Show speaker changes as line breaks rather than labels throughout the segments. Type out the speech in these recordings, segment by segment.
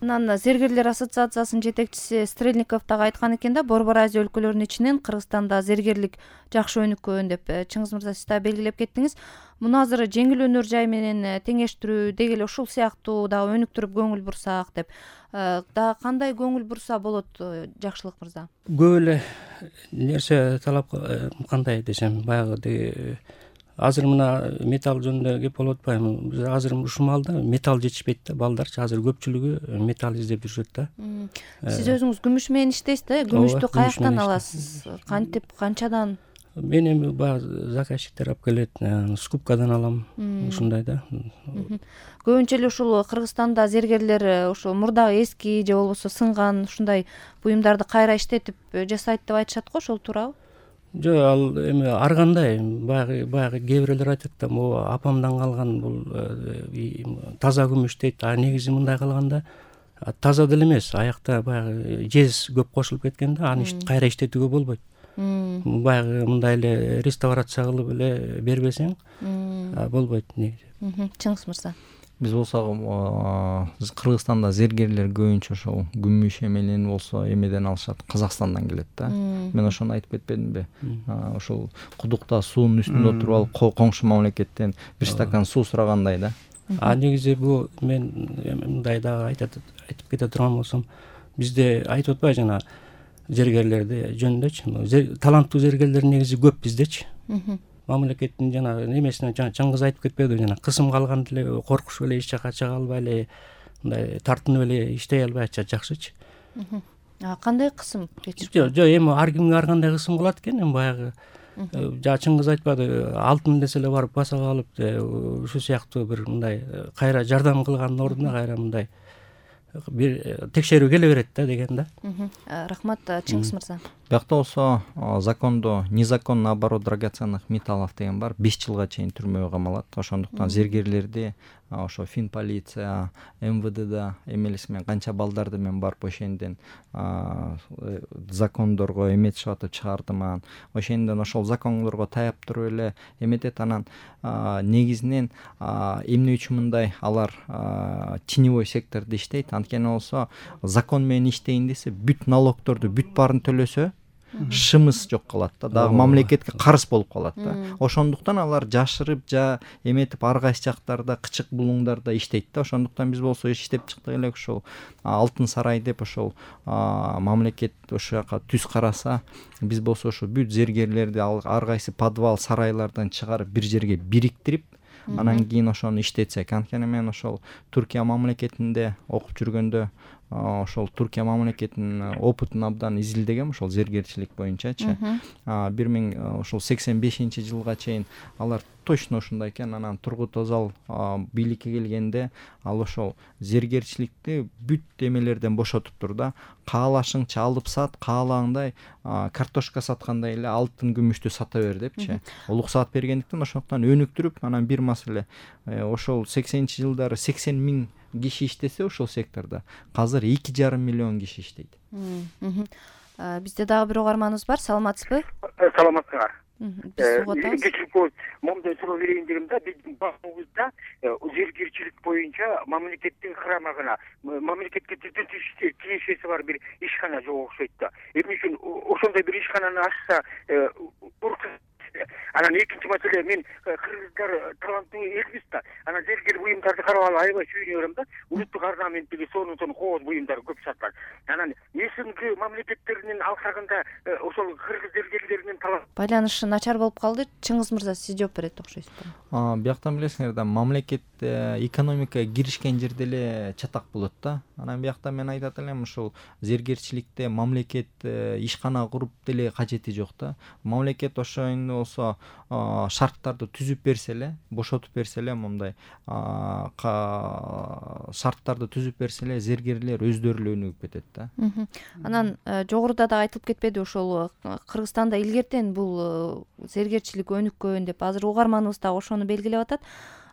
Анан Зергерлер ассоциациясынын жетекчиси Стрельников дагы айткан экен да, Борбор Азия өлкөлөрүнүн ичинен Кыргызстанда зергерлик жакшы өнүккөн деп. Чыңгыз мырза, сиз дагы белгилеп кеттиңиз. Муну азыр жеңил өнөр жай менен теңештирүү, деги эле ушул сыяктуу дагы өнүктүрүп көңүл бурсак деп. Дагы кандай көңүл бурса болот, Жакшылык мырза?
Көп эле нерсе талап кандай десем, баягы азыр мына металл жөнүндө кеп болуп атпайбы? Биз азыр ушул маалда металл жетишпейт да, балдарчы азыр көпчүлүгү металл издеп жүрүшөт да.
Сиз өзүңүз күмүш менен иштейсиз да? Күмүштү каяктан аласыз? Кантип, канчадан?
Мен эми баягы заказчиктер алып келет, скупкадан алам, ушундай да.
Көбүнчө эле ушул Кыргызстанда зергерлер ошо мурдагы эски же болбосо сынган ушундай буюмдарды кайра иштетип жасайт деп айтышат го, ошол туурабы?
Жок, ал эми ар кандай баягы кээ бирлер айтат да, могу апамдан калган бул таза күмүш дейт. Негизи мындай калганда таза деле эмес, аякта баягы жез көп кошулуп кеткен да, аны кайра иштетүүгө болбойт. Баягы мындай эле реставрация кылып эле бербесең болбойт негизи.
Чыңгыз мырза.
Биз болсо Кыргызстанда зергерлер көбүнчө ошол күмүш менен болсо эмеден алышат, Казакстандан келет да. Мен ошону айтып кетпедимби? Ошол кудукта суунун үстүндө отуруп алып коңшу мамлекеттен бир стакан суу сурагандай да.
Негизи бул мен мындай дагы айтып кете турган болсом, бизде айтып атпайбы жана зергерлерди жөнүндөчү, таланттуу зергерлер негизи көп биздечи. Мамлекеттин жана немесине Чыңгыз айтып кетпедиби, жана кысым калган деле, коркушуп эле эч жака чыга албай эле, мындай тартынып эле иштей албай атышат жакшычы.
Кандай кысым кечирип?
Жок, эми ар кимге ар кандай кысым кылат экен, эми баягы Чыңгыз айтпады, алтын десе эле барып басага алып, ушул сыяктуу бир мындай кайра жардам кылгандын ордуна кайра мындай бир текшерүү келе берет да деген да.
Рахмат, Чыңгыз мырза.
Биякта болсо закондо незаконный оборот драгоценных металлов деген бар, 5 жылга чейин түрмөгө камалат. Ошондуктан зергерлерди ошо Фин полиция, МВДда эмелеси менен канча балдарды мен барып ошонден закондорго эметишип атып чыгардыман. Ошондон ошол закондорго таяп туруп эле эметет. Анан негизинен эмне үчүн мындай алар теневой сектордо иштейт? Анткени болсо закон менен иштейин десе, бүт налогторду бүт баарын төлөсө, шымыз жок калат да, дагы мамлекетке карыз болуп калат да. Ошондуктан алар жашырып эметип ар кайсы жактарда кычык булуңдарда иштейт да. Ошондуктан биз болсо иштеп чыктык элек ошол Алтын сарай деп ошол мамлекет ошол жака түз караса, биз болсо ошо бүт зергерлерди ар кайсы подвал сарайлардан чыгарып бир жерге бириктирип, анан кийин ошону иштетсек. Анткени мен ошол Түркия мамлекетинде окуп жүргөндө ошол Түркия мамлекетинин опытын абдан изилдегем ошол зергерчилик боюнчачы. 1985-жылга чейин алар точно ушундай экен. Анан Тургут Özal бийликке келгенде ал ошол зергерчиликти бүт эмелерден бошотуптур да. Каалашыңча алып сат, каалагандай картошка саткандай эле алтын күмүштү сата бер депчи. Уруксаат бергендиктен ошондуктан өнүктүрүп, анан бир маселе ошол 80-жылдары 80 000 киши иштесе ошол сектордо, азыр 2,5 миллион киши иштейт.
Бизде дагы бир угарманыбыз бар. Саламатсызбы?
Саламатсыздар.
Биз угатабыз.
Кечирip момундай суроо берейин дегем да. Биздин багыбызда зергерчилик боюнча мамлекеттин карамагына, мамлекетке тиешеси бар бир ишкана жок окшойт да. Эмне үчүн ошондой бир ишкананы ачса, анан экинчи маселе, мен кыргыздар таланттуу элбиз да. Анан зергер буюмдарды карап алып аябай сүйүнүп берем да. Улуттук орнаментиги сонун кооз буюмдар көп сатылат. Анан СНГ мамлекеттеринин алкагында ошол кыргыз зергерлеринин талант
байланышы начар болуп калды. Чыңгыз мырза, сиз жооп берет окшойсузбу?
Бияктан билесиңер да, мамлекет экономикага киришкен жерде эле чатак болот да. Анан биякта мен айтат элем, ушул зергерчиликте мамлекет ишкана куруп деле кажети жок да. Мамлекет ошондо болсо шарттарды түзүп берсе эле, бошотуп берсе эле, мындай шарттарды түзүп берсе эле, зергерлер өздөрү эле өнүгүп кетет да.
Анан жогоруда да айтылып кетпеди, ошол Кыргызстанда илгертен бул зергерчилик өнүккөн деп. Азыр угарманыбыз да ошону белгилеп атат.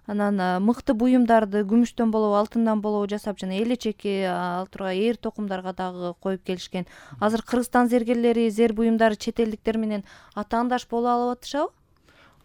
Анан мыкты буюмдарды күмүштөн болобу, алтындан болобу жасап, жана элечеки ал тургай ээр токумдарга дагы коюп келишкен. Азыр Кыргызстан зергерлери, зер буюмдары чет элдиктер менен атаандаш боло алып атышабы?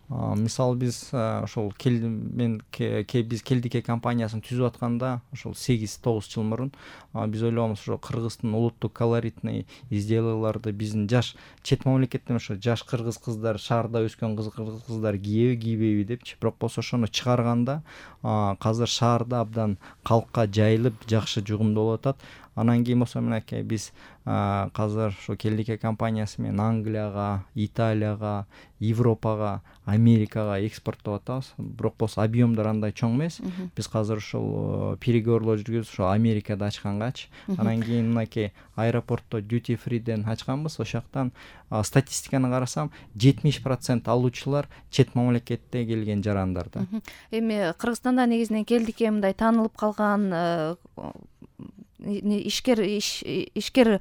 Мисалы биз ошол биз Келдике компаниясын түзүп атканда ошол 8-9 жыл мурун биз ойлогонбуз ошо Кыргыздын улуттук колоритный изделияларды биздин жаш чет мамлекеттен ошо жаш кыргыз кыздар, шаарда өскөн кыргыз кыздар кийеби кийбейби депчи. Бирок болсо ошону чыгарганда азыр шаарда абдан калкка жайылып жакшы жугумдалып атат. Анан кийин болсо мынакей биз азыр ошо Келдике компаниясы менен Англияга, Италияга, Европага, Америкага экспорттоп атабыз. Бирок болсо объемдор андай чоң эмес. Биз азыр ошол переговорлор жүргүзүп ошо Америкада ачкангачы. Анан кийин мынакей аэропортто duty free'ден ачканбыз. Ошол жактан статистиканы карасам 70% алуучулар чет мамлекетте келген жарандар да.
Эми Кыргызстанда негизинен Келдике мындай таанылып калган ишкер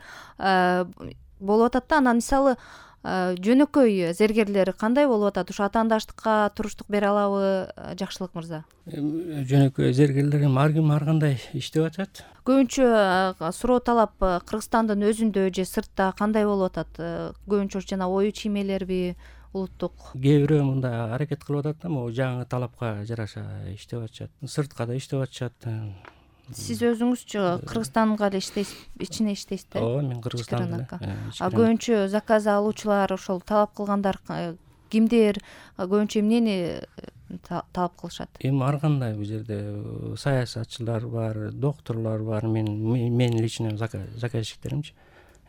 болуп атат да. Анан мисалы жөнөкөй зергерлер кандай болуп атат? Ушу атаандаштыкка туруштук бере алабы, Жакшылык мырза?
Жөнөкөй зергерлер ар ким ар кандай иштеп атат.
Көбүнчө суроо талап Кыргызстандын өзүндө же сыртта кандай болуп атат? Көбүнчө жана ою чиймелерби, улуттук?
Кээ бирөө мында аракет кылып атат да, могу жаңы талапка жараша иштеп атышат. Сыртка да иштеп атышат.
Сиз өзүңүзчү Кыргызстанга эле иштейсиз, ичине иштейсиз да?
Ооба, мен Кыргызстанда.
Көбүнчө заказ алуучулар, ошол талап кылгандар кимдер? Көбүнчө эмнени талап кылышат?
Эми ар кандай бул жерде саясатчылар бар, докторлор бар, мен лично заказчиктеримчи.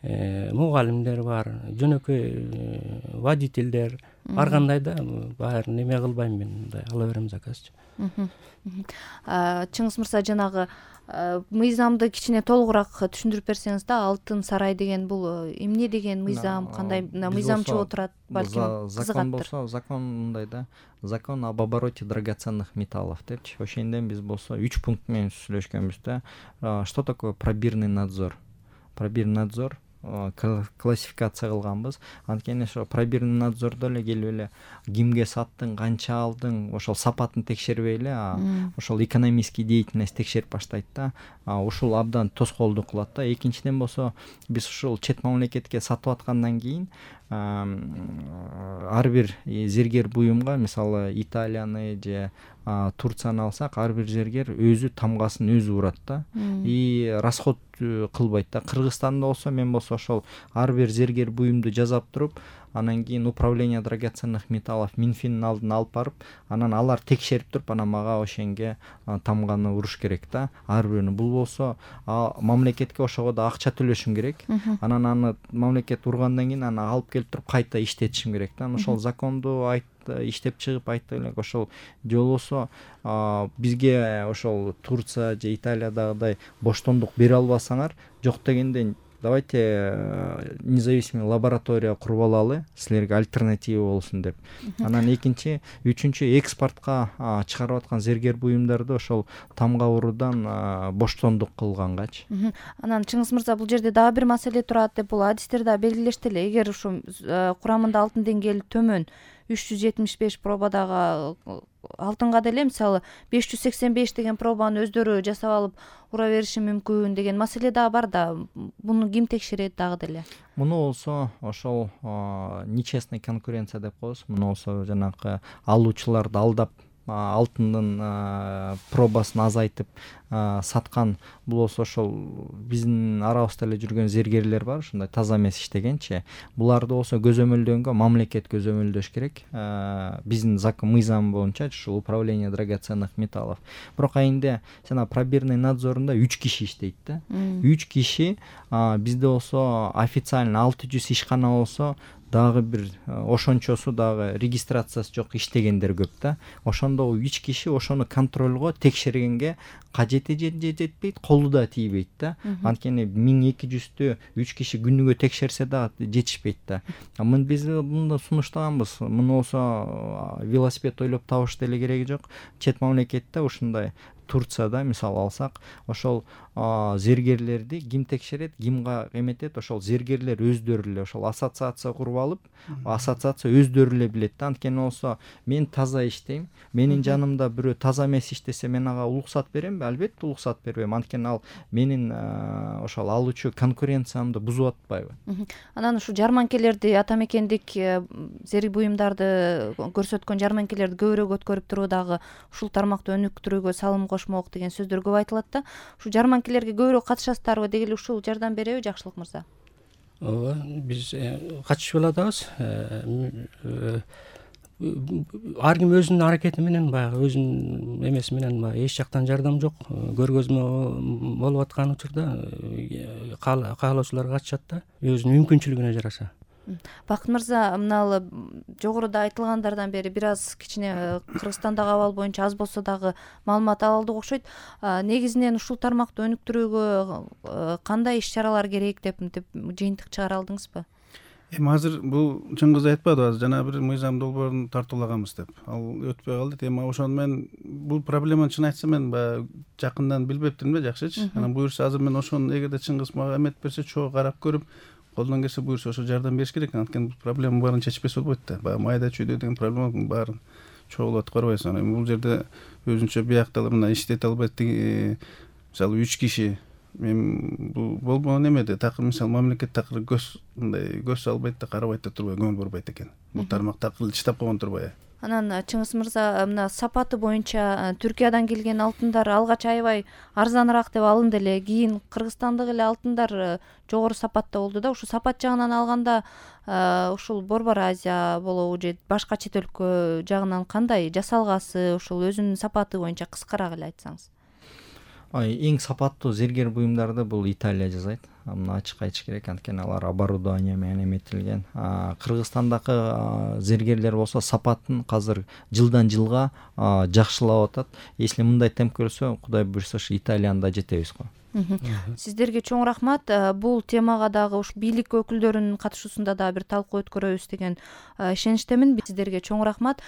Мугалимдер бар, жөнөкөй водительдер, ар кандай да баарын эме кылбайм мен, мындай ала берем заказчы.
Чыңгыз мырза, жанагы мыйзамды кичине толугураак түшүндүрүп берсеңиз да, Алтын сарай деген бул эмне деген мыйзам, кандай мыйзамчы отурат, балким
закон болсо, закон мындай да, закон об обороте драгоценных металлов депчи. Ошонден биз болсо 3 пункт менен сүйлөшкөнбүз да. Что такое пробирный надзор? Пробирный надзор классификация кылганбыз. Анткени ошо пробирный надзордо эле келип эле кимге саттың, канча алдың, ошол сапатын текшербей эле, ошол экономический деятельность текшерип баштайт да. Ушул абдан тоскоолдук кылат да. Экинчиден болсо, биз ушул чет мамлекетке сатып аткандан кийин ар бир зергер буюмга, мисалы Италияны же Турцияны алсак, ар бир зергер өзү тамгасын өзү урат да. И расход кылбайт да. Кыргызстанда болсо, мен болсо ошол ар бир зергер буюмду жасап туруп, анан кийин управление драгоценных металлов Минфиндин алдына алып барып, анан алар текшерип туруп, анан мага ошенге тамганы уруш керек да. Ар бирөөнү. Бул болсо мамлекетке ошого да акча төлөшүм керек. Анан аны мамлекет ургандан кийин аны алып келип туруп кайта иштетишим керек да. Ошол законду иштеп чыгып айтты элек, ошол же болбосо бизге ошол Турция же Италиядагыдай боштондук бере албасаңар, жок дегенде давайте независимый лаборатория куруп алалы, силерге альтернатива болсун деп. Анан үчүнчү экспортко чыгарып аткан зергер буюмдарды ошол тамга уруудан боштондук кылгангачы.
Анан Чыңгыз мырза, бул жерде дагы бир маселе турат деп, бул адистер да белгилешти эле. Эгер ушу курамында алтын деңгээли төмөн 375 пробадагы алтынга деле, мисалы 585 деген пробаны өздөрү жасап алып ура бериши мүмкүн деген маселе дагы бар да. Муну ким текшерет дагы деле?
Муну болсо ошол нечестный конкуренция деп коебуз. Муну болсо жанагы алуучуларды алдап, алтындын пробасын азайтып саткан, бул болсо ошол биздин арабызда эле жүргөн зергерлер бар, ушундай таза эмес иштегенчи. Буларды болсо көзөмөлдөнгө мамлекет көзөмөлдөш керек. Биздин мыйзам боюнча ушул управление драгоценных металлов. Бирок айында жана пробирный надзорунда 3 киши иштейт да. 3 киши, бизде болсо официально 600 ишкана болсо, дагы бир ошончосу дагы регистрациясы жок иштегендер көп да. Ошондо 3 киши ошону контролго, текшергенге кажети жетпейт, колу да тийбейт да. Анткени 1200тү 3 киши күнүгө текшерсе да жетишпейт да. Биз мында сунуштаганбыз. Муну болсо велосипед ойлоп табыш деле кереги жок. Чет мамлекетте ушундай Турцияда мисал алсак, ошол зергерлерди ким текшерет, ким эметет, ошол зергерлер өздөрү эле ошол ассоциация куруп алып, ассоциация өздөрү эле билет да. Анткени болсо мен таза иштейм, менин жанымда бирөө таза эмес иштесе мен ага уруксат беремби? Албетте уруксат бербейм. Анткени ал менин ошол алуучу конкуренциямды бузуп атпайбы?
Анан ушу жарманкелерди, ата мекендик зерик буюмдарды көрсөткөн жарманкелерди көбүрөөк өткөрүп туруу дагы ушул тармакты өнүктүрүүгө салым кошмок деген сөздөр көп айтылат да. Ушу жарманкелерге көбүрөөк катышасыздарбы? Деги эле ушул жардам береби Жакшылык мырза?
Ооба, биз катышып атабыз. Ар ким өзүнүн аракети менен, баягы өзүнүн эмеси менен эч жактан жардам жок. Көргөзмө болуп аткан учурда каалоочулар катышат да, өзүнүн мүмкүнчүлүгүнө жараша.
Бакыт мырза, мына жогоруда айтылгандардан бери бир аз кичине Кыргызстандагы абал боюнча аз болсо дагы маалымат ала алдык окшойт. Негизинен ушул тармакты өнүктүрүүгө кандай иш чаралар керек деп жыйынтык чыгара алдыңызбы?
Эми азыр бул Чыңгыз айтпадыбы, азыр жана бир мыйзам долбоорун тартуулаганбыз деп. Ал өтпөй калды. Эми ошону мен бул проблеманы чын айтсам мен баягы жакындан билбептирмин да, жакшычы. Анан буюрса азыр мен ошону эгерде Чыңгыз мага эмет берсе, чогуу карап көрүп, колдон келсе буюрса ошо жардам бериш керек. Анткени проблема баарын чечпесе болбойт да. Баягы майда чүйдө деген проблеманын баарын чогулатып карабайсың. Эми бул жерде өзүнчө биякталып мына иштете албайт, мисалы 3 киши мен бул болбогон эмеде такыр, мисалы мамлекет такыр көз салбайт да, карабайт да турбай, көңүл бурбайт экен. Бул тармак такыр чыдап койгон турбай.
Анан Чыңгыз мырза, мына сапаты боюнча Түркиядан келген алтындар алгач аябай арзаныраак деп алынды эле. Кийин Кыргызстандык эле алтындар жогору сапатта болду да. Ушу сапат жагынан алганда ушул Борбор Азия болобу же башка чет өлкө жагынан кандай жасалгасы, ушул өзүнүн сапаты боюнча кыскараак эле айтсаңыз.
Эң сапаттуу зергер буюмдарды бул Италия жасайт. Мына ачык айтыш керек, анткени алар оборудование менен эметилген. Кыргызстандагы зергерлер болсо сапатын азыр жылдан жылга жакшылап атат. Если мындай темп көрсө, Кудай буйрса ушу Италияны да жетебиз го.
Сиздерге чоң рахмат. Бул темага дагы ушу бийлик өкүлдөрүнүн катышуусунда дагы бир талкуу өткөрөбүз деген ишеничтемин. Сиздерге чоң рахмат.